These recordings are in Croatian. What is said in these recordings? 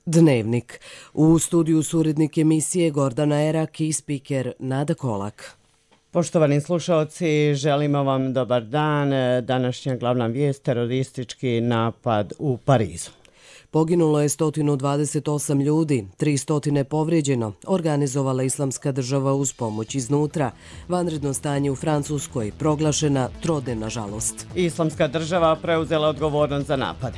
Dnevnik. U studiju su urednik emisije Gordana Erak i spiker Nada Kolak. Poštovani slušalci, želimo vam dobar dan. Današnja glavna vijest, teroristički napad u Parizu. Poginulo je 128 ljudi, 300 povrijeđeno, organizovala Islamska država uz pomoć iznutra. Vanredno stanje u Francuskoj, proglašena trodnevna žalost. Islamska država preuzela odgovornost za napade.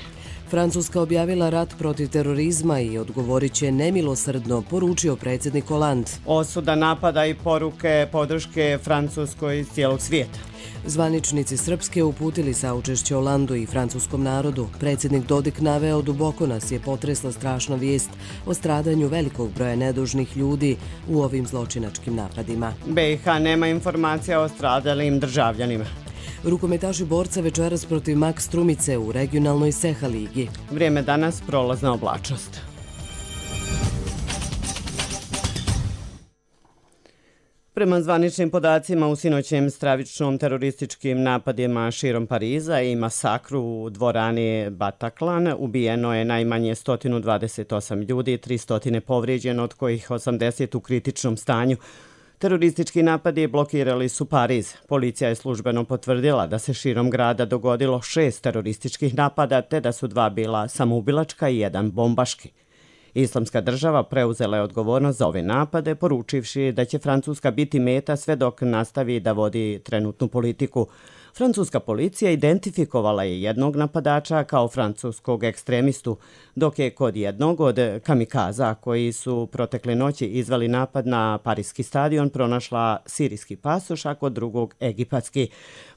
Francuska objavila rat protiv terorizma i odgovorit će nemilosrdno, poručio predsjednik Hollande. Osuda napada i poruke podrške Francuskoj iz cijelog svijeta. Zvaničnici Srpske uputili saučešće Hollandu i francuskom narodu. Predsjednik Dodik naveo: duboko nas je potresla strašna vijest o stradanju velikog broja nedužnih ljudi u ovim zločinačkim napadima. BiH nema informacija o stradalim državljanima. Rukometaši borca večeras protiv Max Strumice u regionalnoj Seha ligi. Vrijeme danas, prolazna oblačnost. Prema zvaničnim podacima, u sinoćnim stravičnom terorističkim napadima širom Pariza i masakru u dvorani Bataclan ubijeno je najmanje 128 ljudi, 300 povrijeđeno, od kojih 80 u kritičnom stanju. Teroristički napadi blokirali su Pariz. Policija je službeno potvrdila da se širom grada dogodilo 6 terorističkih napada, te da su 2 bila samoubilačka i 1 bombaški. Islamska država preuzela je odgovornost za ove napade, poručivši da će Francuska biti meta sve dok nastavi da vodi trenutnu politiku. Francuska policija identifikovala je jednog napadača kao francuskog ekstremistu, dok je kod jednog od kamikaza koji su protekle noći izveli napad na Pariski stadion pronašla sirijski pasoš, a kod drugog egipatski.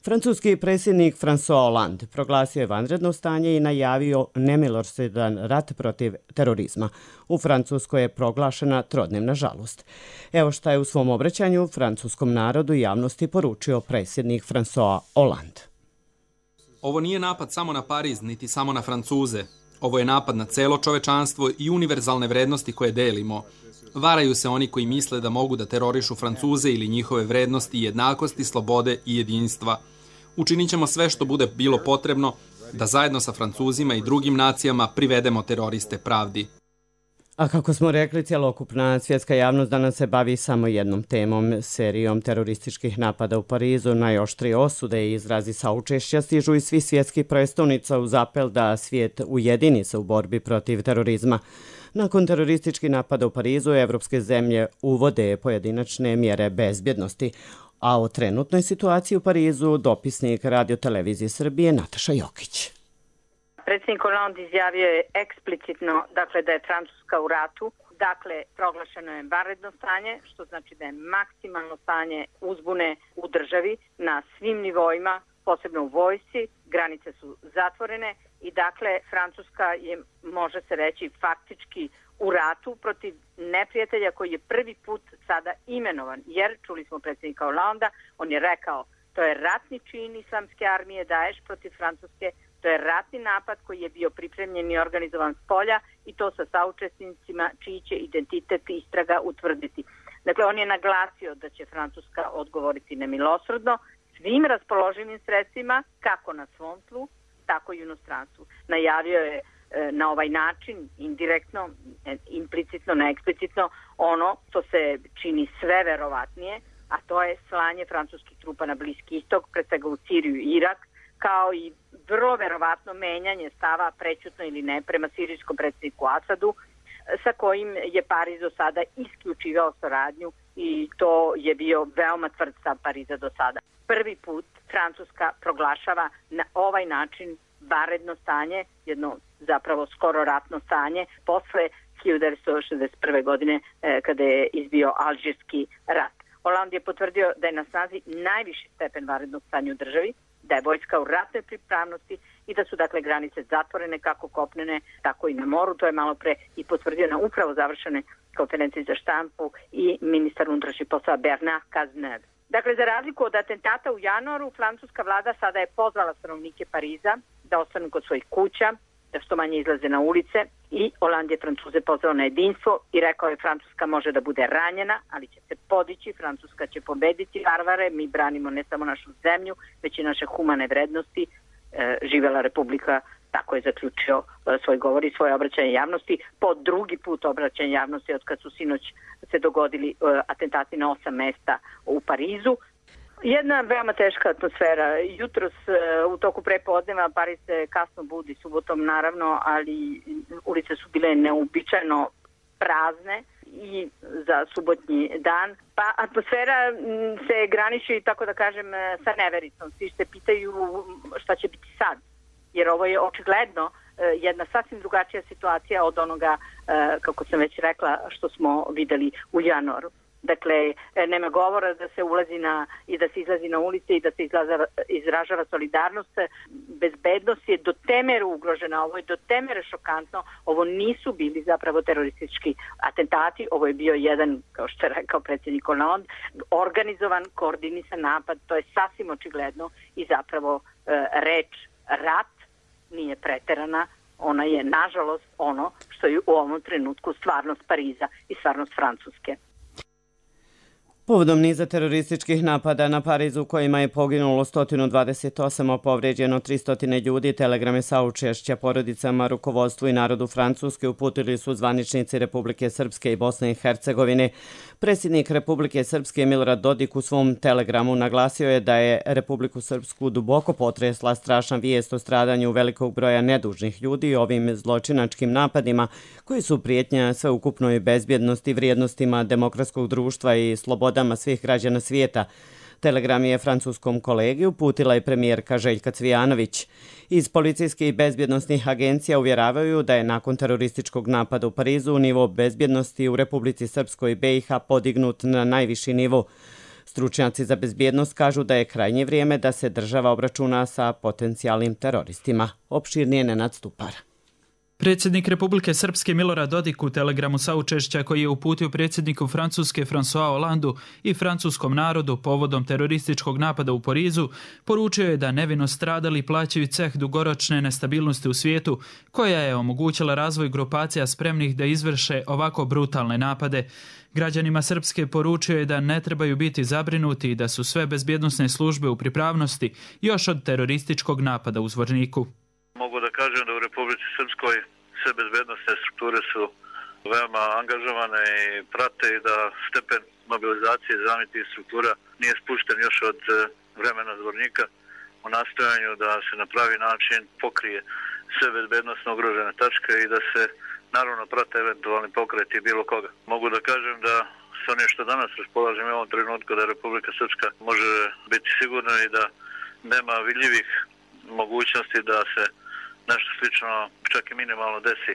Francuski predsjednik François Hollande proglasio je vanredno stanje i najavio nemilosrdan rat protiv terorizma. U Francuskoj je proglašena trodnevna žalost. Evo šta je u svom obraćanju francuskom narodu i javnosti poručio predsjednik François Hollande. Ovo nije napad samo na Pariz, niti samo na Francuze. Ovo je napad na celo čovečanstvo i univerzalne vrednosti koje delimo. Varaju se oni koji misle da mogu da terorišu Francuze ili njihove vrednosti jednakosti, slobode i jedinstva. Učinit ćemo sve što bude bilo potrebno da zajedno sa Francuzima i drugim nacijama privedemo teroriste pravdi. A kako smo rekli, cjelokupna svjetska javnost danas se bavi samo jednom temom, serijom terorističkih napada u Parizu. Najoštrije osude i izrazi saučešća stižu iz svih svjetskih prestolnica uz apel da svijet ujedini se u borbi protiv terorizma. Nakon terorističkih napada u Parizu, evropske zemlje uvode pojedinačne mjere bezbjednosti. A o trenutnoj situaciji u Parizu dopisnik Radio-televizije Srbije Nataša Jokić. Predsjednik Hollande izjavio je eksplicitno da je Francuska u ratu. Dakle, proglašeno je vanredno stanje, što znači da je maksimalno stanje uzbune u državi na svim nivoima, posebno u vojsci. Granice su zatvorene i dakle Francuska je, može se reći, faktički u ratu protiv neprijatelja koji je prvi put sada imenovan. Jer, čuli smo predsjednika Hollanda, on je rekao, to je ratni čin islamske armije Daesh protiv Francuske. To je ratni napad koji je bio pripremljen i organizovan s polja i to sa saučesnicima čiji će identitet istraga utvrditi. Dakle, on je naglasio da će Francuska odgovoriti nemilosrdno svim raspoloživim sredstvima, kako na svom tlu, tako i u inostranstvu. Najavio je na ovaj način, indirektno, implicitno, neeksplicitno, ono što se čini sve verovatnije, a to je slanje francuskih trupa na Bliski istok, pre svega u Siriju i Irak, kao i vrlo verovatno menjanje stava, prećutno ili ne, prema sirijskom predsjedniku Asadu, sa kojim je Pariz do sada isključivao saradnju i to je bio veoma tvrd stav Pariza do sada. Prvi put Francuska proglašava na ovaj način vanredno stanje, jedno zapravo skoro ratno stanje, posle 1961. godine kada je izbio Alžirski rat. Hollande je potvrdio da je na snazi najviši stepen vanrednog stanja u državi, da je vojska u ratnoj pripravnosti i da su dakle granice zatvorene kako kopnene, tako i na moru. To je malo pre i potvrdio na upravo završene konferenciji za štampu i ministar unutrašnjih poslova Bernard Cazeneuve. Dakle, za razliku od atentata u januaru, francuska vlada sada je pozvala stanovnike Pariza da ostanu kod svojih kuća, da što manje izlaze na ulice i Hollande je Francuze pozvao na jedinstvo i rekao je Francuska može da bude ranjena, ali će se podići, Francuska će pobediti varvare, mi branimo ne samo našu zemlju, već i naše humane vrednosti. Živela Republika Tako je zaključio svoj govor i svoje obraćanje javnosti, po drugi put obraćanje javnosti od kad su sinoć se dogodili atentati na 8 mesta u Parizu. Jedna veoma teška atmosfera. Jutros u toku prepodneva Pariz se kasno budi, subotom naravno, ali ulice su bile neuobičajeno prazne i za subotnji dan. Pa atmosfera se graniči, tako da kažem, sa nevericom. Svi se pitaju šta će biti sad, jer ovo je očigledno jedna sasvim drugačija situacija od onoga, kako sam već rekla, što smo videli u januaru. Dakle, nema govora da se ulazi i da se izlazi na ulice i da se izražava solidarnost. Bezbednost je do te mere ugrožena, ovo je do te mere šokantno. Ovo nisu bili zapravo teroristički atentati, ovo je bio jedan, kao što je rekao predsjednik Hollande, organizovan, koordinisan napad, to je sasvim očigledno i zapravo reč rat nije preterana, ona je nažalost ono što je u ovom trenutku stvarnost Pariza i stvarnost Francuske. Povodom niza terorističkih napada na Parizu kojima je poginulo 128, a povređeno 300 ljudi, telegrame saučešća porodicama, rukovodstvu i narodu Francuske uputili su zvaničnici Republike Srpske i Bosne i Hercegovine. Predsjednik Republike Srpske Milorad Dodik u svom telegramu naglasio je da je Republiku Srpsku duboko potresla strašna vijest o stradanju velikog broja nedužnih ljudi ovim zločinačkim napadima koji su prijetnja sveukupnoj bezbjednosti, vrijednostima demokratskog društva i slobodama svih građana svijeta. Telegram je francuskom kolegi uputila i premijerka Željka Cvijanović. Iz policijskih i bezbjednosnih agencija uvjeravaju da je nakon terorističkog napada u Parizu nivo bezbjednosti u Republici Srpskoj i BiH podignut na najviši nivo. Stručnjaci za bezbjednost kažu da je krajnje vrijeme da se država obračuna sa potencijalnim teroristima. Opširnije Nenad Stupar. Predsjednik Republike Srpske Milorad Dodik u telegramu saučešća koji je uputio predsjedniku Francuske François Hollandu i francuskom narodu povodom terorističkog napada u Parizu poručio je da nevino stradali plaćaju ceh dugoročne nestabilnosti u svijetu koja je omogućila razvoj grupacija spremnih da izvrše ovako brutalne napade. Građanima Srpske poručio je da ne trebaju biti zabrinuti i da su sve bezbjednosne službe u pripravnosti još od terorističkog napada u Zvorniku. Mogu da kažem da u Republici Srpskoj sve bezbednostne strukture su veoma angažovane i prate i da stepen mobilizacije zaštitnih struktura nije spušten još od vremena Zvornika u nastojanju da se na pravi način pokrije sve bezbednosno ugrožene tačke i da se naravno prate eventualni pokreti bilo koga. Mogu da kažem da s onim što danas raspolažem u ovom trenutku da Republika Srpska može biti sigurna i da nema vidljivih mogućnosti da se nešto slično, čak i minimalno desi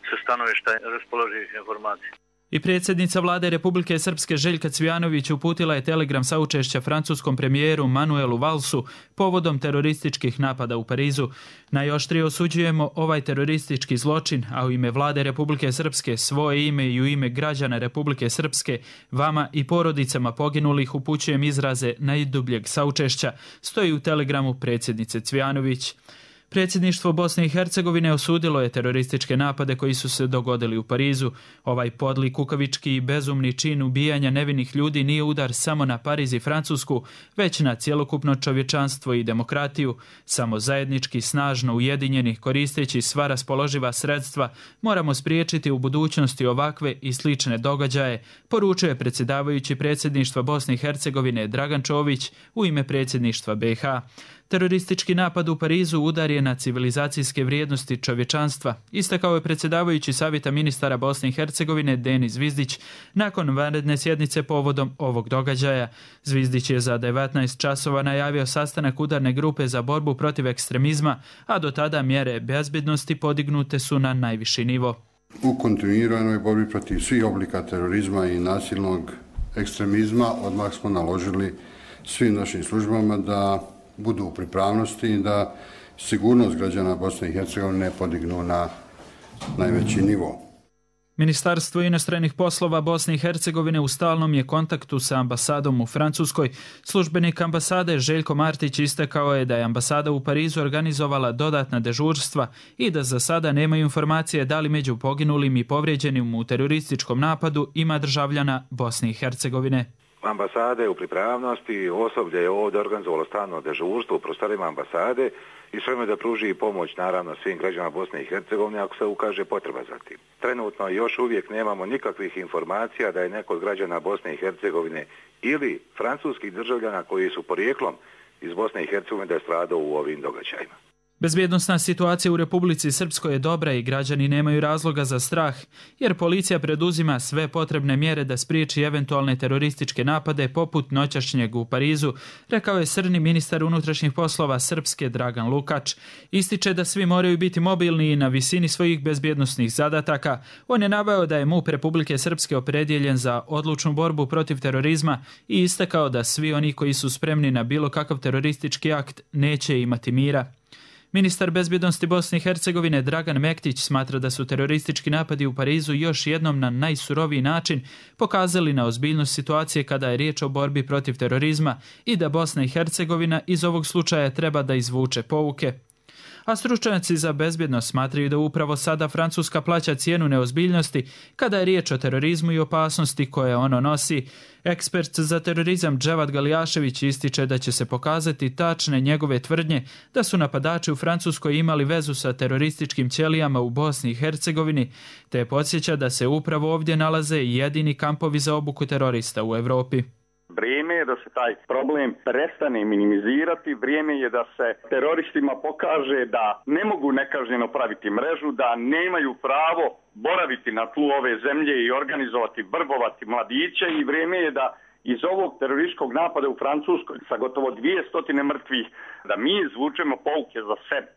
sa stanovišta raspoloživih informacija. I predsjednica vlade Republike Srpske Željka Cvijanović uputila je telegram saučešća francuskom premijeru Manuelu Valsu povodom terorističkih napada u Parizu. Najoštrije osuđujemo ovaj teroristički zločin, a u ime vlade Republike Srpske, svoje ime i u ime građana Republike Srpske, vama i porodicama poginulih upućujem izraze najdubljeg saučešća, stoji u telegramu predsjednice Cvijanović. Predsjedništvo Bosne i Hercegovine osudilo je terorističke napade koji su se dogodili u Parizu. Ovaj podli, kukavički i bezumni čin ubijanja nevinih ljudi nije udar samo na Pariz i Francusku, već na cjelokupno čovječanstvo i demokratiju. Samo zajednički, snažno ujedinjeni, koristeći sva raspoloživa sredstva, moramo spriječiti u budućnosti ovakve i slične događaje, poručuje predsjedavajući predsjedništva Bosne i Hercegovine Dragan Čović u ime predsjedništva BiH. Teroristički napad u Parizu udar je na civilizacijske vrijednosti čovječanstva, istakao je predsjedavajući Savjeta ministara Bosne i Hercegovine Denis Zvizdić nakon vanredne sjednice povodom ovog događaja. Zvizdić je za 19 časova najavio sastanak udarne grupe za borbu protiv ekstremizma, a do tada mjere bezbjednosti podignute su na najviši nivo. U kontinuiranoj borbi protiv svih oblika terorizma i nasilnog ekstremizma odmah smo naložili svim našim službama da budu u pripravnosti i da sigurnost građana Bosne i Hercegovine podignu na najveći nivo. Ministarstvo inostranih poslova Bosne i Hercegovine u stalnom je kontaktu sa ambasadom u Francuskoj. Službenik ambasade Željko Martić istakao je da je ambasada u Parizu organizovala dodatna dežurstva i da za sada nemaju informacije da li među poginulim i povrijeđenim u terorističkom napadu ima državljana Bosne i Hercegovine. Ambasade u pripravnosti, osoblje je ovdje organizovalo stalno dežurstvo u prostorima ambasade i sveme da pruži pomoć naravno svim građanima Bosne i Hercegovine ako se ukaže potreba za tim. Trenutno još uvijek nemamo nikakvih informacija da je neko od građana Bosne i Hercegovine ili francuskih državljana koji su porijeklom iz Bosne i Hercegovine da je stradao u ovim događajima. Bezbjednosna situacija u Republici Srpskoj je dobra i građani nemaju razloga za strah, jer policija preduzima sve potrebne mjere da spriječi eventualne terorističke napade poput noćašnjeg u Parizu, rekao je srni ministar unutrašnjih poslova Srpske Dragan Lukač. Ističe da svi moraju biti mobilni i na visini svojih bezbjednosnih zadataka. On je naveo da je MUP Republike Srpske opredjeljen za odlučnu borbu protiv terorizma i istakao da svi oni koji su spremni na bilo kakav teroristički akt neće imati mira. Ministar bezbjednosti Bosne i Hercegovine Dragan Mektić smatra da su teroristički napadi u Parizu još jednom na najsuroviji način pokazali na ozbiljnost situacije kada je riječ o borbi protiv terorizma i da Bosna i Hercegovina iz ovog slučaja treba da izvuče pouke. A stručnjaci za bezbjednost smatraju da upravo sada Francuska plaća cijenu neozbiljnosti kada je riječ o terorizmu i opasnosti koje ono nosi. Ekspert za terorizam Dževad Galijašević ističe da će se pokazati tačne njegove tvrdnje da su napadači u Francuskoj imali vezu sa terorističkim ćelijama u Bosni i Hercegovini, te podsjeća da se upravo ovdje nalaze jedini kampovi za obuku terorista u Europi. Vrijeme je da se taj problem prestane minimizirati, vrijeme je da se teroristima pokaže da ne mogu nekažnjeno praviti mrežu, da nemaju pravo boraviti na tlu ove zemlje i organizovati, vrbovati mladiće i vrijeme je da iz ovog terorističkog napada u Francuskoj sa gotovo 200 mrtvih, da mi izvučemo pouke za sebe.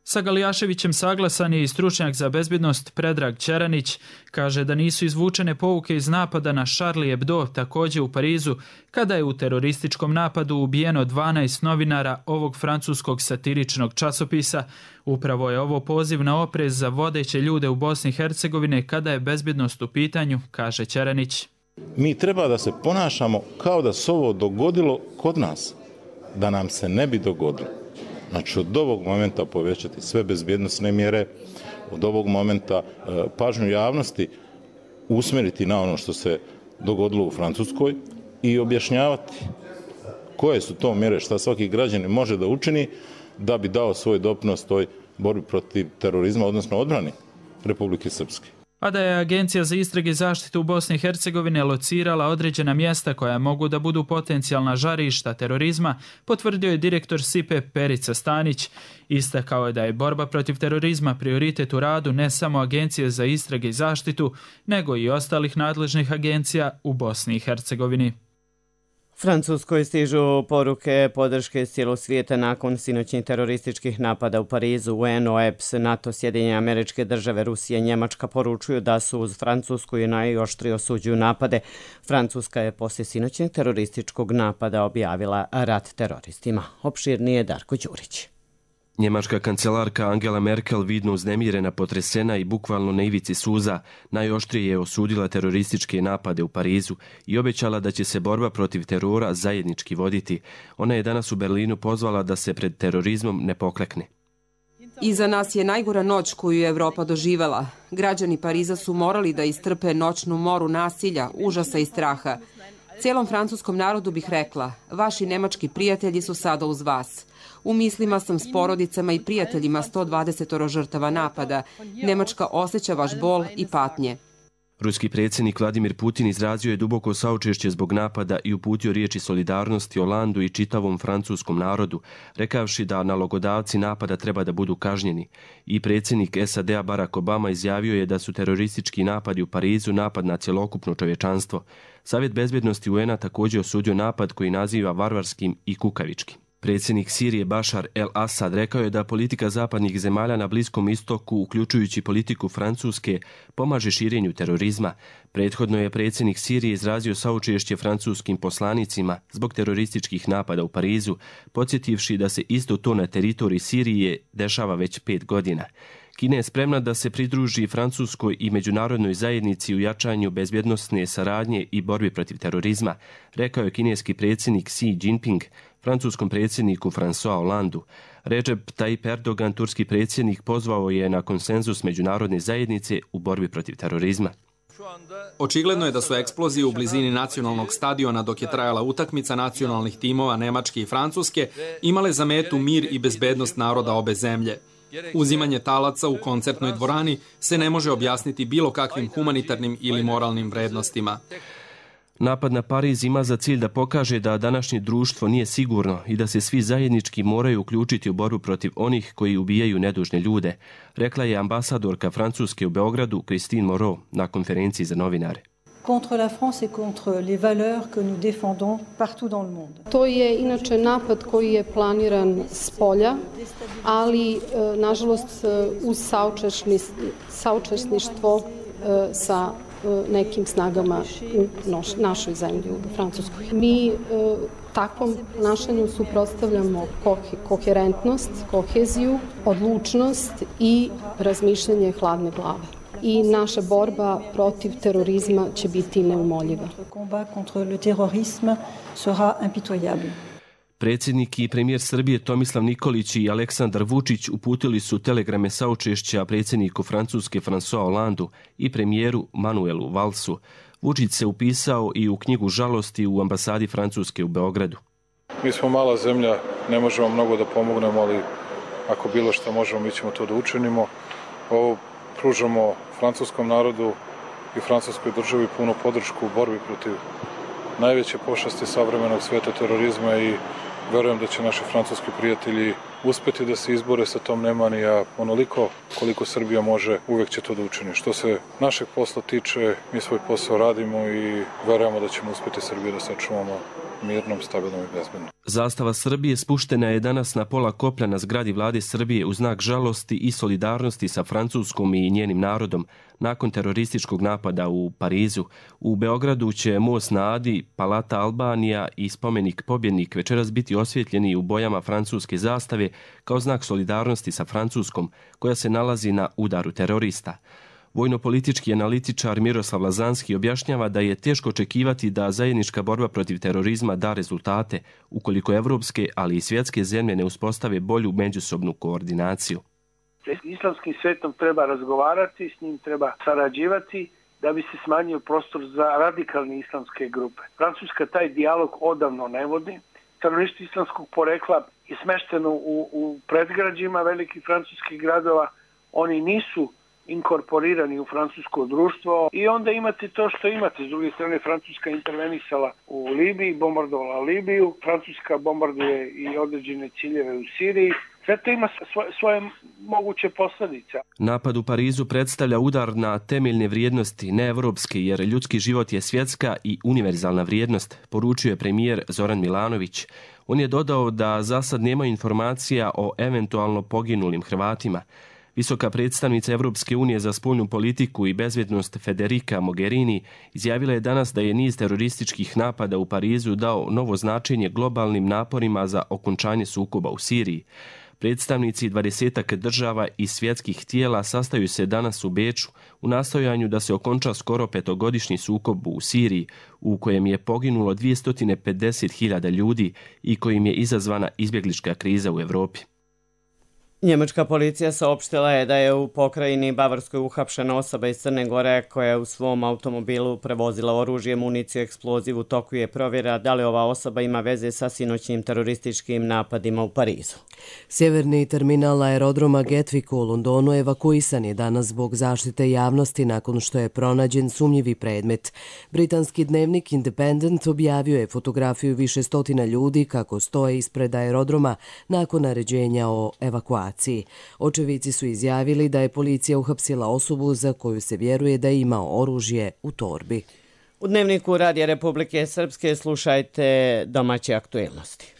Sa Galijaševićem saglasan je i stručnjak za bezbjednost Predrag Čeranić. Kaže da nisu izvučene pouke iz napada na Charlie Hebdo, također u Parizu, kada je u terorističkom napadu ubijeno 12 novinara ovog francuskog satiričnog časopisa. Upravo je ovo poziv na oprez za vodeće ljude u Bosni i Hercegovine kada je bezbjednost u pitanju, kaže Čeranić. Mi treba da se ponašamo kao da se ovo dogodilo kod nas, da nam se ne bi dogodilo. Znači od ovog momenta povećati sve bezbjednosne mjere, od ovog momenta pažnju javnosti usmjeriti na ono što se dogodilo u Francuskoj i objašnjavati koje su to mjere, šta svaki građanin može da učini da bi dao svoj doprinos toj borbi protiv terorizma, odnosno odbrani Republike Srpske. A da je Agencija za istrage i zaštitu u Bosni i Hercegovine locirala određena mjesta koja mogu da budu potencijalna žarišta terorizma, potvrdio je direktor SIPE Perica Stanić. Istakao je da je borba protiv terorizma prioritet u radu ne samo Agencije za istrage i zaštitu, nego i ostalih nadležnih agencija u Bosni i Hercegovini. Francuskoj stižu poruke podrške iz cijelog svijeta nakon sinoćnih terorističkih napada u Parizu. UN, OEBS, NATO, Sjedinjene Američke Države, Rusija i Njemačka poručuju da su uz Francusku i najoštrije osuđuju napade. Francuska je poslije sinoćnog terorističkog napada objavila rat teroristima. Opširnije Darko Đurić. Njemačka kancelarka Angela Merkel vidno uznemirena, potresena i bukvalno na ivici suza najoštrije je osudila terorističke napade u Parizu i obećala da će se borba protiv terora zajednički voditi. Ona je danas u Berlinu pozvala da se pred terorizmom ne poklekne. Iza nas je najgora noć koju je Evropa doživela. Građani Pariza su morali da istrpe noćnu moru nasilja, užasa i straha. Cijelom francuskom narodu bih rekla, vaši nemački prijatelji su sada uz vas. U mislima sam s porodicama i prijateljima 120 žrtava napada. Njemačka osjeća vaš bol i patnje. Ruski predsjednik Vladimir Putin izrazio je duboko saučešće zbog napada i uputio riječi solidarnosti Holandu i čitavom francuskom narodu, rekavši da nalogodavci napada treba da budu kažnjeni. I predsjednik SAD-a Barack Obama izjavio je da su teroristički napadi u Parizu napad na cjelokupno čovječanstvo. Savjet bezbjednosti UN-a također osudio napad koji naziva varvarskim i kukavičkim. Predsjednik Sirije Bašar el-Assad rekao je da politika zapadnih zemalja na Bliskom istoku, uključujući politiku Francuske, pomaže širenju terorizma. Prethodno je predsjednik Sirije izrazio saučešće francuskim poslanicima zbog terorističkih napada u Parizu, podsjetivši da se isto to na teritoriji Sirije dešava već 5 godina. Kina je spremna da se pridruži Francuskoj i međunarodnoj zajednici u jačanju bezbjednosne saradnje i borbi protiv terorizma, rekao je kineski predsjednik Xi Jinping francuskom predsjedniku François Hollandu. Recep Tayyip Erdogan, turski predsjednik, pozvao je na konsenzus međunarodne zajednice u borbi protiv terorizma. Očigledno je da su eksplozije u blizini nacionalnog stadiona dok je trajala utakmica nacionalnih timova Nemačke i Francuske imale za metu mir i bezbednost naroda obe zemlje. Uzimanje talaca u koncertnoj dvorani se ne može objasniti bilo kakvim humanitarnim ili moralnim vrednostima. Napad na Pariz ima za cilj da pokaže da današnje društvo nije sigurno i da se svi zajednički moraju uključiti u borbu protiv onih koji ubijaju nedužne ljude, rekla je ambasadorka Francuske u Beogradu Christine Moreau na konferenciji za novinare. Contre la France et contre les valeurs que nous défendons partout dans le monde. To je inače napad koji je planiran s polja, ali nažalost uz saučesništvo sa nekim snagama u našoj zemlji, u Francuskoj. Mi takvom ponašanju suprotstavljamo koherentnost, koheziju, odlučnost i razmišljanje hladne glave. I naša borba protiv terorizma će biti neumoljiva. Predsjednik i premijer Srbije Tomislav Nikolić i Aleksandar Vučić uputili su telegrame saučešća predsjedniku Francuske François Hollandu i premijeru Manuelu Valsu. Vučić se upisao i u knjigu žalosti u ambasadi Francuske u Beogradu. Mi smo mala zemlja, ne možemo mnogo da pomognemo, ali ako bilo što možemo, mi ćemo to da učinimo. Ovo pružamo francuskom narodu i francuskoj državi punu podršku u borbi protiv najveće pošasti savremenog sveta, terorizma, i verujem da će naši francuski prijatelji uspeti da se izbore sa tom nemani, a onoliko koliko Srbija može, uvek će to da učini. Što se našeg posla tiče, mi svoj posao radimo i verujemo da ćemo uspeti Srbiju da sačuvamo mirnom, stabilnom i bezbednom. Zastava Srbije spuštena je danas na pola koplja na zgradi vlade Srbije u znak žalosti i solidarnosti sa Francuskom i njenim narodom nakon terorističkog napada u Parizu. U Beogradu će most na Adi, Palata Albanija i spomenik Pobjednik večeras biti osvjetljeni u bojama francuske zastave kao znak solidarnosti sa Francuskom koja se nalazi na udaru terorista. Vojno-politički analitičar Miroslav Lazanski objašnjava da je teško očekivati da zajednička borba protiv terorizma da rezultate ukoliko evropske, ali i svjetske zemlje ne uspostave bolju međusobnu koordinaciju. S islamskim svetom treba razgovarati, s njim treba sarađivati da bi se smanjio prostor za radikalne islamske grupe. Francuska taj dijalog odavno ne vodi. Teroristi islamskog porekla je smešteno u predgrađima velikih francuskih gradova. Oni nisu inkorporirani u francusko društvo i onda imate to što imate. S druge strane, Francuska intervenisala u Libiji, bombardovala Libiju, Francuska bombarduje i određene ciljeve u Siriji. Sve to ima svoje moguće posljedice. Napad u Parizu predstavlja udar na temeljne vrijednosti, ne evropske, jer ljudski život je svjetska i univerzalna vrijednost, poručio je premijer Zoran Milanović. On je dodao da za sad nema informacija o eventualno poginulim Hrvatima. Visoka predstavnica Evropske unije za spoljnu politiku i bezbjednost Federica Mogherini izjavila je danas da je niz terorističkih napada u Parizu dao novo značenje globalnim naporima za okončanje sukoba u Siriji. Predstavnici 20 država i svjetskih tijela sastaju se danas u Beču u nastojanju da se okonča skoro 5-godišnji sukob u Siriji u kojem je poginulo 250.000 ljudi i kojim je izazvana izbjeglička kriza u Evropi. Njemačka policija saopštila je da je u pokrajini Bavarskoj uhapšena osoba iz Crne Gore koja je u svom automobilu prevozila oružje, municiju, eksploziv. U toku je provjera da li ova osoba ima veze sa sinoćnim terorističkim napadima u Parizu. Sjeverni terminal aerodroma Gatwick u Londonu evakuisan je danas zbog zaštite javnosti nakon što je pronađen sumnjivi predmet. Britanski dnevnik Independent objavio je fotografiju više stotina ljudi kako stoje ispred aerodroma nakon naređenja o evakuaciji. Očevici su izjavili da je policija uhapsila osobu za koju se vjeruje da je imao oružje u torbi. U dnevniku Radija Republike Srpske slušajte domaće aktuelnosti.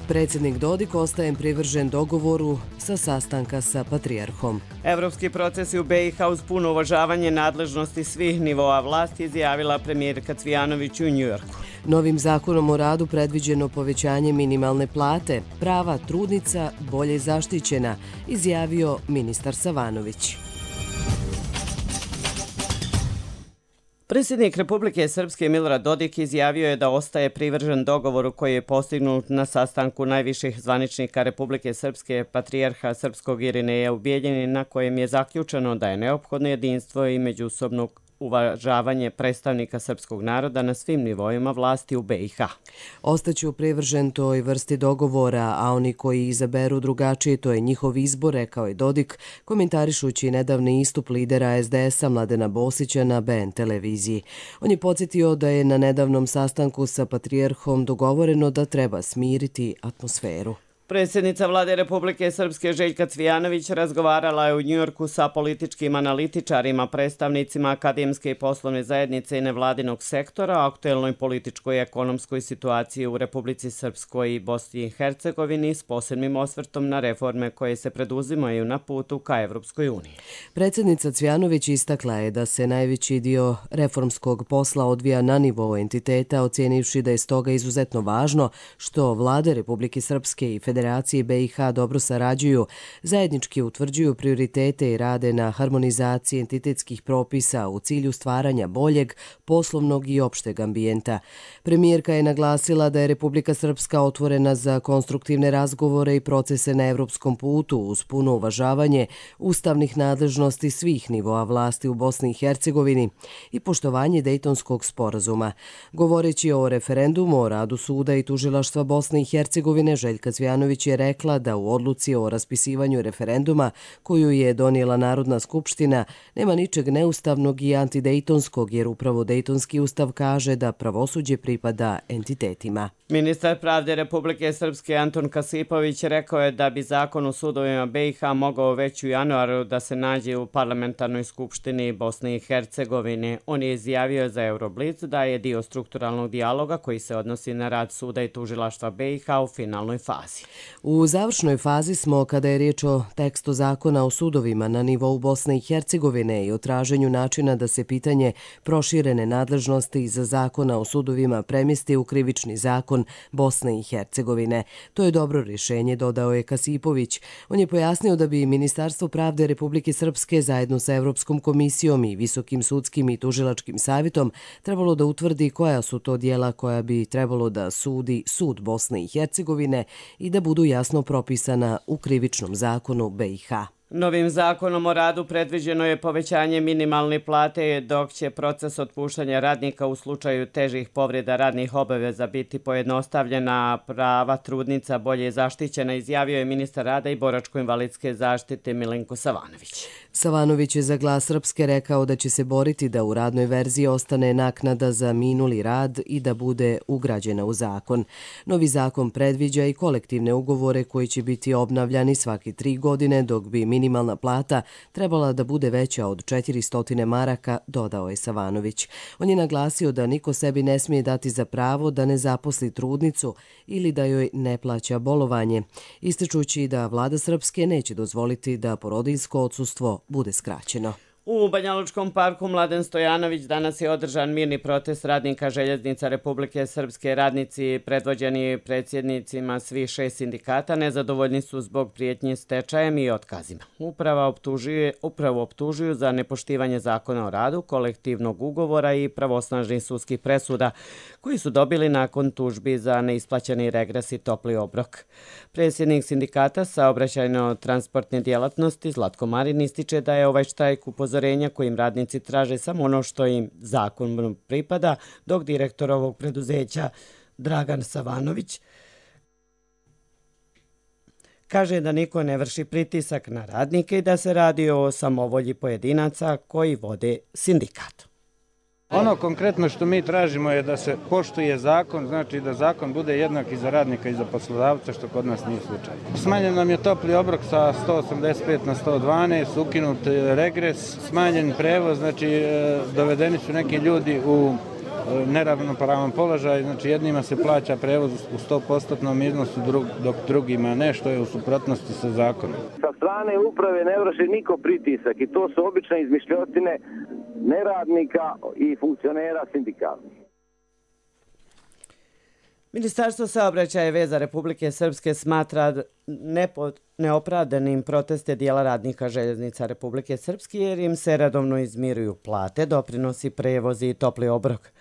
Predsjednik Dodik ostaje privržen dogovoru sa sastanka sa patrijarhom. Evropski procesi u BiH uz puno uvažavanje nadležnosti svih nivoa vlasti, izjavila premijerka Cvijanović u Njujorku. Novim zakonom o radu predviđeno povećanje minimalne plate, prava trudnica bolje zaštićena, izjavio ministar Savanović. Predsjednik Republike Srpske Milorad Dodik izjavio je da ostaje privržen dogovoru koji je postignut na sastanku najviših zvaničnika Republike Srpske patrijarha Srpskog Irineja u Bijeljini, na kojem je zaključeno da je neophodno jedinstvo i međusobno uvažavanje predstavnika srpskog naroda na svim nivoima vlasti u BiH. Ostaću privržen toj vrsti dogovora, a oni koji izaberu drugačije, to je njihov izbor, rekao je Dodik, komentarišući nedavni istup lidera SDS-a Mladena Bosića na BN televiziji. On je podsjetio da je na nedavnom sastanku sa patrijarhom dogovoreno da treba smiriti atmosferu. Predsjednica vlade Republike Srpske Željka Cvijanović razgovarala je u Njujorku sa političkim analitičarima, predstavnicima akademske i poslovne zajednice i nevladinog sektora o aktuelnoj političkoj i ekonomskoj situaciji u Republici Srpskoj i Bosni i Hercegovini s posebnim osvrtom na reforme koje se preduzimaju na putu ka Evropskoj uniji. Predsjednica Cvijanović istakla je da se najveći dio reformskog posla odvija na nivou entiteta, ocijenivši da je stoga izuzetno važno što vlade Republike Srpske i Federacije BiH dobro sarađuju, zajednički utvrđuju prioritete i rade na harmonizaciji entitetskih propisa u cilju stvaranja boljeg, poslovnog i opšteg ambijenta. Premijerka je naglasila da je Republika Srpska otvorena za konstruktivne razgovore i procese na evropskom putu uz puno uvažavanje ustavnih nadležnosti svih nivoa vlasti u Bosni i Hercegovini i poštovanje Dejtonskog sporazuma. Govoreći o referendumu o radu suda i tužilaštva Bosne i Hercegovine, Željka Cvijanović je rekla da u odluci o raspisivanju referenduma koju je donijela Narodna skupština nema ničeg neustavnog i antidejtonskog, jer upravo Dejtonski ustav kaže da pravosuđe pripada entitetima. Ministar pravde Republike Srpske Anton Kasipović rekao je da bi zakon o sudovima BiH mogao već u januaru da se nađe u parlamentarnoj skupštini Bosne i Hercegovine. On je izjavio za Euroblic da je dio strukturalnog dijaloga koji se odnosi na rad suda i tužilaštva BiH u finalnoj fazi. U završnoj fazi smo kada je riječ o tekstu zakona o sudovima na nivou Bosne i Hercegovine i o traženju načina da se pitanje proširene nadležnosti za zakona o sudovima premjesti u krivični zakon Bosne i Hercegovine. To je dobro rješenje, dodao je Kasipović. On je pojasnio da bi Ministarstvo pravde Republike Srpske zajedno sa Evropskom komisijom i Visokim sudskim i tužilačkim savjetom trebalo da utvrdi koja su to dijela koja bi trebalo da sudi sud Bosne i Hercegovine i da budu jasno propisana u krivičnom zakonu BiH. Novim zakonom o radu predviđeno je povećanje minimalne plate, dok će proces otpuštanja radnika u slučaju težih povreda radnih obaveza biti pojednostavljena, prava trudnica bolje zaštićena, izjavio je ministar rada i boračko-invalidske zaštite Milenko Savanović. Savanović je za Glas Srpske rekao da će se boriti da u radnoj verziji ostane naknada za minuli rad i da bude ugrađena u zakon. Novi zakon predviđa i kolektivne ugovore koji će biti obnavljani svaki 3 godine, dok bi minimalna plata trebala da bude veća od 400 maraka, dodao je Savanović. On je naglasio da niko sebi ne smije dati za pravo da ne zaposli trudnicu ili da joj ne plaća bolovanje, ističući da vlada Srpske neće dozvoliti da porodiljsko odsustvo bude skraćeno. U Banjalučkom parku Mladen Stojanović danas je održan mirni protest radnika željeznica Republike Srpske. Radnici, predvođeni predsjednicima svih 6 sindikata, nezadovoljni su zbog prijetnje stečajem i otkazima. Upravo optužuju za nepoštivanje zakona o radu, kolektivnog ugovora i pravosnažnih sudskih presuda, koji su dobili nakon tužbi za neisplaćeni regres i topli obrok. Predsjednik sindikata saobraćajno-transportne djelatnosti Zlatko Marin ističe da je ovaj štrajk upozorenja kojim radnici traže samo ono što im zakon pripada, dok direktor ovog preduzeća Dragan Savanović kaže da niko ne vrši pritisak na radnike i da se radi o samovolji pojedinaca koji vode sindikat. Ono konkretno što mi tražimo je da se poštuje zakon, znači da zakon bude jednak i za radnika i za poslodavca, što kod nas nije slučaj. Smanjen nam je topli obrok sa 185 na 112, ukinut regres, smanjen prevoz, znači dovedeni su neki ljudi u neravnopravan položaj, znači jednima se plaća prevoz u 100% iznosu, dok drugima ne, što je u suprotnosti sa zakonom. Sa strane uprave ne vrši niko pritisak i to su obične izmišljotine neradnika i funkcionera sindikalnih. Ministarstvo saobraćaja i veza Republike Srpske smatra neopravdanim proteste dijela radnika željeznica Republike Srpske jer im se redovno izmiruju plate, doprinosi, prevozi i topli obrok.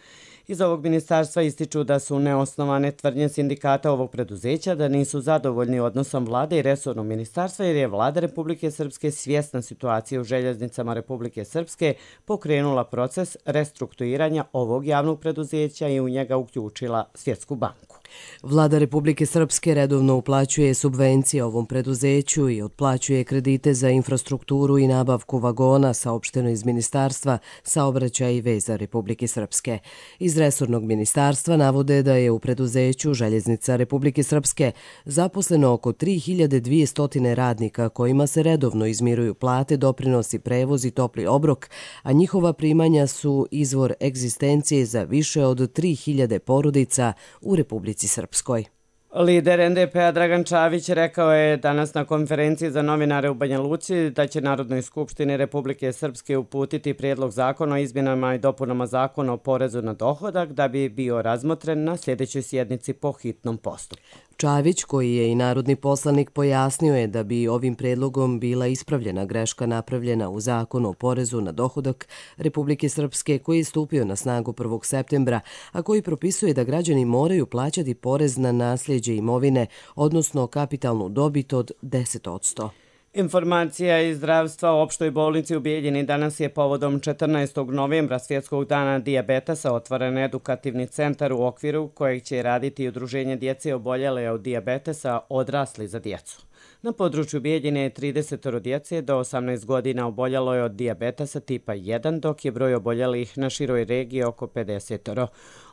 Iz ovog ministarstva ističu da su neosnovane tvrdnje sindikata ovog preduzeća da nisu zadovoljni odnosom vlade i resornog ministarstva jer je vlada Republike Srpske svjesna situacije u željeznicama Republike Srpske pokrenula proces restrukturiranja ovog javnog preduzeća i u njega uključila Svjetsku banku. Vlada Republike Srpske redovno uplaćuje subvencije ovom preduzeću i otplaćuje kredite za infrastrukturu i nabavku vagona, saopšteno iz Ministarstva saobraćaja i veza Republike Srpske. Iz resornog ministarstva navode da je u preduzeću Željeznica Republike Srpske zaposleno oko 3200 radnika kojima se redovno izmiruju plate, doprinosi, prevoz i topli obrok, a njihova primanja su izvor egzistencije za više od 3000 porodica u Republici Srpskoj. Lider NDP-a Dragan Čavić rekao je danas na konferenciji za novinare u Banja Luci da će Narodnoj skupštini Republike Srpske uputiti prijedlog zakona o izmjenama i dopunama zakona o porezu na dohodak da bi bio razmotren na sljedećoj sjednici po hitnom postupku. Čavić, koji je i narodni poslanik, pojasnio je da bi ovim predlogom bila ispravljena greška napravljena u zakonu o porezu na dohodak Republike Srpske koji je stupio na snagu 1. septembra, a koji propisuje da građani moraju plaćati porez na nasljeđe imovine, odnosno kapitalnu dobit od 10%. Informacija iz zdravstva u opštoj bolnici u Bijeljini danas je povodom 14. novembra Svjetskog dana dijabetesa otvoren edukativni centar u okviru kojeg će raditi udruženje djece oboljele od dijabetesa odrasli za djecu. Na području Bijeljine je 30 djece do 18 godina oboljelo je od dijabetesa tipa 1, dok je broj oboljelih na široj regiji oko 50.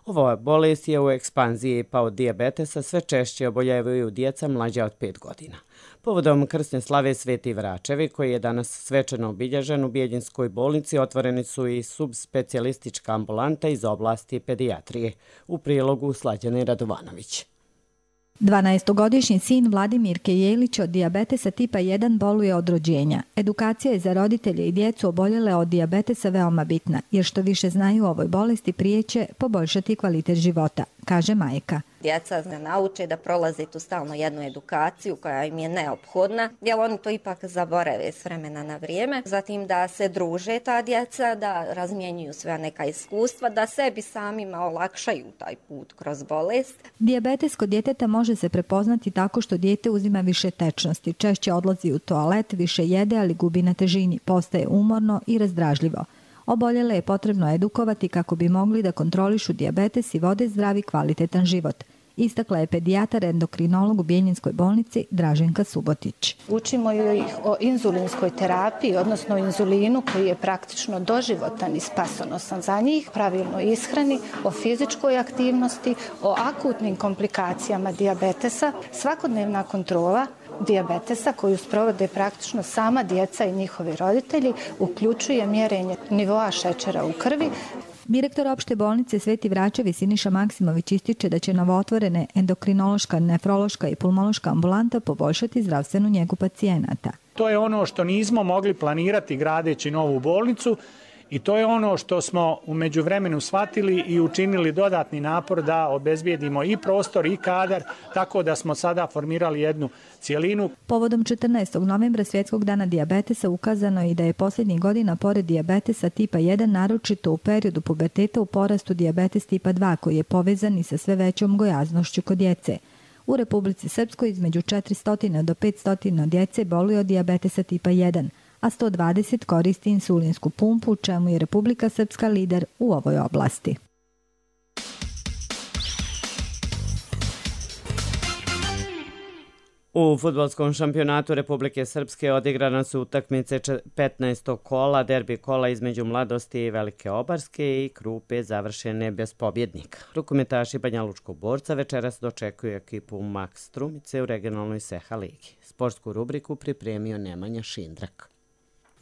Ova bolest je u ekspanziji, pa od dijabetesa sve češće oboljevaju djeca mlađa od 5 godina. Povodom krsne slave Sveti Vračevi, koji je danas svečano obilježen u Bijeljinskoj bolnici, otvoreni su i subspecijalistička ambulanta iz oblasti pedijatrije. U prilogu Slađane Radovanović. 12-godišnji sin Vladimirke Jelić od dijabetesa tipa 1 boluje od rođenja. Edukacija je za roditelje i djecu oboljele od dijabetesa veoma bitna, jer što više znaju o ovoj bolesti prije će poboljšati kvalitet života, kaže majka. Djeca se nauče da prolaze tu stalno jednu edukaciju koja im je neophodna, jer oni to ipak zaborave s vremena na vrijeme. Zatim da se druže ta djeca, da razmjenjuju sve neka iskustva, da sebi samima olakšaju taj put kroz bolest. Dijabetes kod djeteta može se prepoznati tako što dijete uzima više tečnosti, češće odlazi u toalet, više jede, ali gubi na težini, postaje umorno i razdražljivo. Oboljele je potrebno edukovati kako bi mogli da kontrolišu dijabetes i vode zdravi kvalitetan život. Istakla je pedijatar endokrinolog u Bijeljinskoj bolnici Draženka Subotić. Učimo ih o inzulinskoj terapiji, odnosno inzulinu koji je praktično doživotan i spasonosan za njih, pravilnoj ishrani, o fizičkoj aktivnosti, o akutnim komplikacijama dijabetesa, svakodnevna kontrola dijabetesa koju sprovode praktično sama djeca i njihovi roditelji, uključuje mjerenje nivoa šećera u krvi. Direktor opšte bolnice Sveti Vračevi Siniša Maksimović ističe da će novootvorene endokrinološka, nefrološka i pulmološka ambulanta poboljšati zdravstvenu njegu pacijenata. To je ono što nismo mogli planirati gradeći novu bolnicu i to je ono što smo u međuvremenu shvatili i učinili dodatni napor da obezbijedimo i prostor i kadar, tako da smo sada formirali jednu cijelinu. Povodom 14. novembra Svjetskog dana dijabetesa ukazano je i da je posljednjih godina pored dijabetesa tipa 1 naročito u periodu puberteta u porastu dijabetes tipa 2 koji je povezan i sa sve većom gojaznošću kod djece. U Republici Srpskoj između 400 do 500 djece boluje od dijabetesa tipa 1, a 120 koristi insulinsku pumpu, čemu je Republika Srpska lider u ovoj oblasti. U fudbalskom šampionatu Republike Srpske odigrana su utakmice 15. kola, derbi kola između Mladosti i Velike Obarske i Krupe završene bez pobjednika. Rukometaši Banjalučkog Borca večeras dočekuju ekipu Max Strumice u regionalnoj Seha ligi. Sportsku rubriku pripremio Nemanja Šindrak.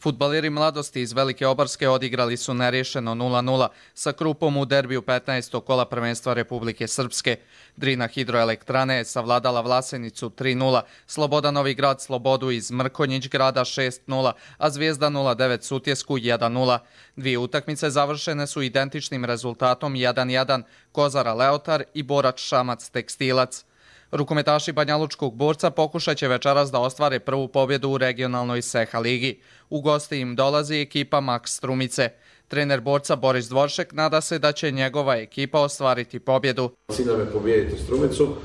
Fudbaleri Mladosti iz Velike Obarske odigrali su nerješeno 0-0 sa Krupom u derbiju 15. kola prvenstva Republike Srpske. Drina Hidroelektrane je savladala Vlasenicu 3-0, Sloboda Novi Grad Slobodu iz Mrkonjić grada 6-0, a Zvijezda 09 Sutjesku 1-0. Dvije utakmice završene su identičnim rezultatom 1-1, Kozara Leotar i Borač Šamac Tekstilac. Rukometaši Banjalučkog Borca pokušat će večeras da ostvare prvu pobjedu u regionalnoj Seha ligi. U gosti im dolazi ekipa Max Strumice. Trener Borca Boris Dvoršek nada se da će njegova ekipa ostvariti pobjedu. Cilj nam je pobijediti Strumicu.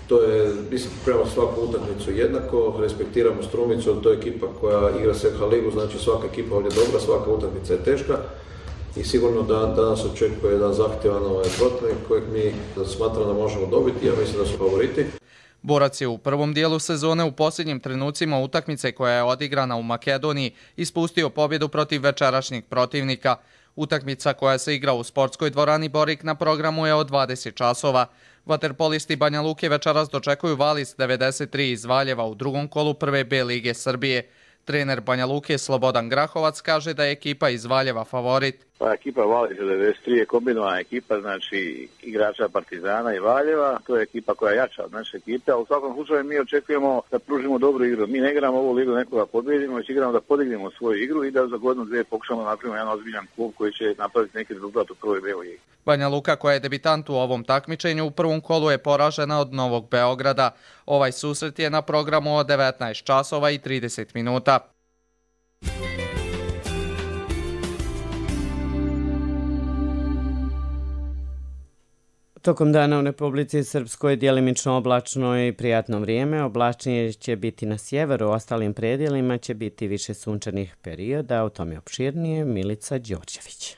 To je, mislim, prema svaku utakmicu jednako, respektiramo Strumicu, to je ekipa koja igra Seha ligu, znači svaka ekipa ovdje je dobra, svaka utakmica je teška. I sigurno da nas očekuje jedan zahtjevan protivnik kojeg mi smatramo da možemo dobiti. Ja mislim da su favoriti. Borac je u prvom dijelu sezone u posljednjim trenucima utakmice koja je odigrana u Makedoniji ispustio pobjedu protiv večerašnjeg protivnika. Utakmica koja se igra u sportskoj dvorani Borik na programu je od 20 časova. Vaterpolisti Banja Luke večeras dočekuju Valis 93 iz Valjeva u drugom kolu prve B lige Srbije. Trener Banja Luke Slobodan Grahovac kaže da je ekipa iz Valjeva favorit. Pa ekipa Valis 93 je kombinovana ekipa, znači igrača Partizana i Valjeva. To je ekipa koja je jača od naše ekipe, a u svakom slučaju mi očekujemo da pružimo dobru igru. Mi ne igramo ovu ligu nekoga pobjedimo, već igramo da podignemo svoju igru i da za godinu dvije pokušamo napraviti jedan ozbiljan klub koji će napraviti neki rezultat u prvoj B ligi. Banja Luka, koja je debitant u ovom takmičenju, u prvom kolu je poražena od Novog Beograda. Ovaj susret je na programu od 19 časova i 30 minuta. Tokom dana u Republici Srpskoj je djelimično oblačno i prijatno vrijeme. Oblačnije će biti na sjeveru, u ostalim predjelima će biti više sunčanih perioda. O tome opširnije Milica Đorđević.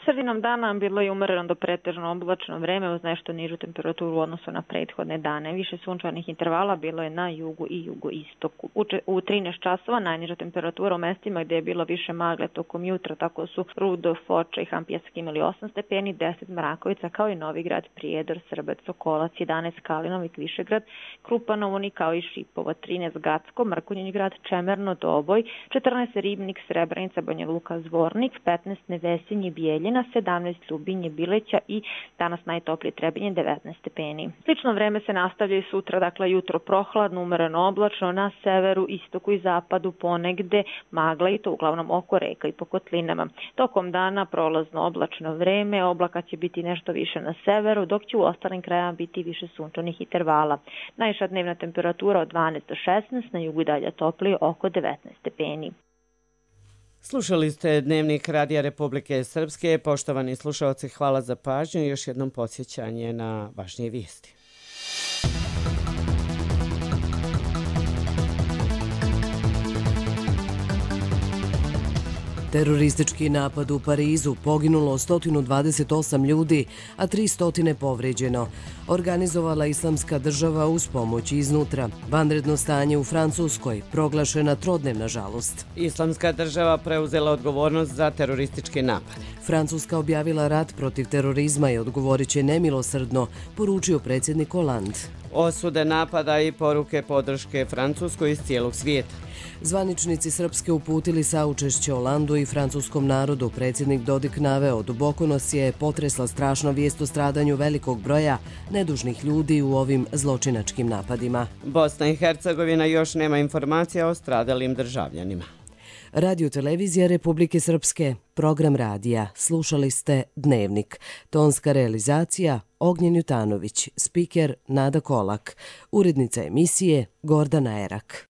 Sredinom dana bilo je umereno do pretežno oblačno vreme uz nešto nižu temperaturu u odnosu na prethodne dane. Više sunčanih intervala bilo je na jugu i jugoistoku. U 13 časova najniža temperatura u mestima gdje je bilo više magle tokom jutra, tako su Rudo, Foča i Hampijevski imali 8 stepeni, 10 Mrakovica kao i Novigrad, Prijedor, Srbec, Sokolac, 11 Kalinovik, Višegrad, Krupanovuni kao i Šipovo, 13 Gacko, Mrkonjić grad, Čemerno, Doboj, 14 Ribnik, Srebrenica, Banja Luka, Zvornik, 15 Nevesinje, Bijeljina, 17 Ljubinje, Bileća i danas najtoplije Trebinje 19 stepeni. Slično vreme se nastavlja i sutra, dakle jutro prohladno, umereno oblačno, na severu, istoku i zapadu ponegde magla i to uglavnom oko reka i po kotlinama. Tokom dana prolazno oblačno vreme, oblaka će biti nešto više na severu, dok će u ostalim krajama biti više sunčanih intervala. Najviša dnevna temperatura od 12 do 16, na jugu i dalje toplije oko 19 stepeni. Slušali ste Dnevnik Radija Republike Srpske. Poštovani slušalci, hvala za pažnju i još jednom podsjećanje na važnije vijesti. Teroristički napad u Parizu, poginulo 128 ljudi, a 300 povređeno. Organizovala Islamska država uz pomoć iznutra. Vanredno stanje u Francuskoj, proglašena trodnevna žalost. Islamska država preuzela odgovornost za teroristički napad. Francuska objavila rat protiv terorizma i odgovorit će nemilosrdno, poručio predsjednik Hollande. Osude napada i poruke podrške Francuskoj iz cijelog svijeta. Zvaničnici Srpske uputili saučešće Holandu i francuskom narodu. Predsjednik Dodik naveo, duboko nas je potresla strašna vijest o stradanju velikog broja nedužnih ljudi u ovim zločinačkim napadima. Bosna i Hercegovina još nema informacija o stradalim državljanima. Radio televizija Republike Srpske, program radija. Slušali ste Dnevnik. Tonska realizacija Ognjen Jutanović, spiker Nada Kolak, urednica emisije Gordana Erak.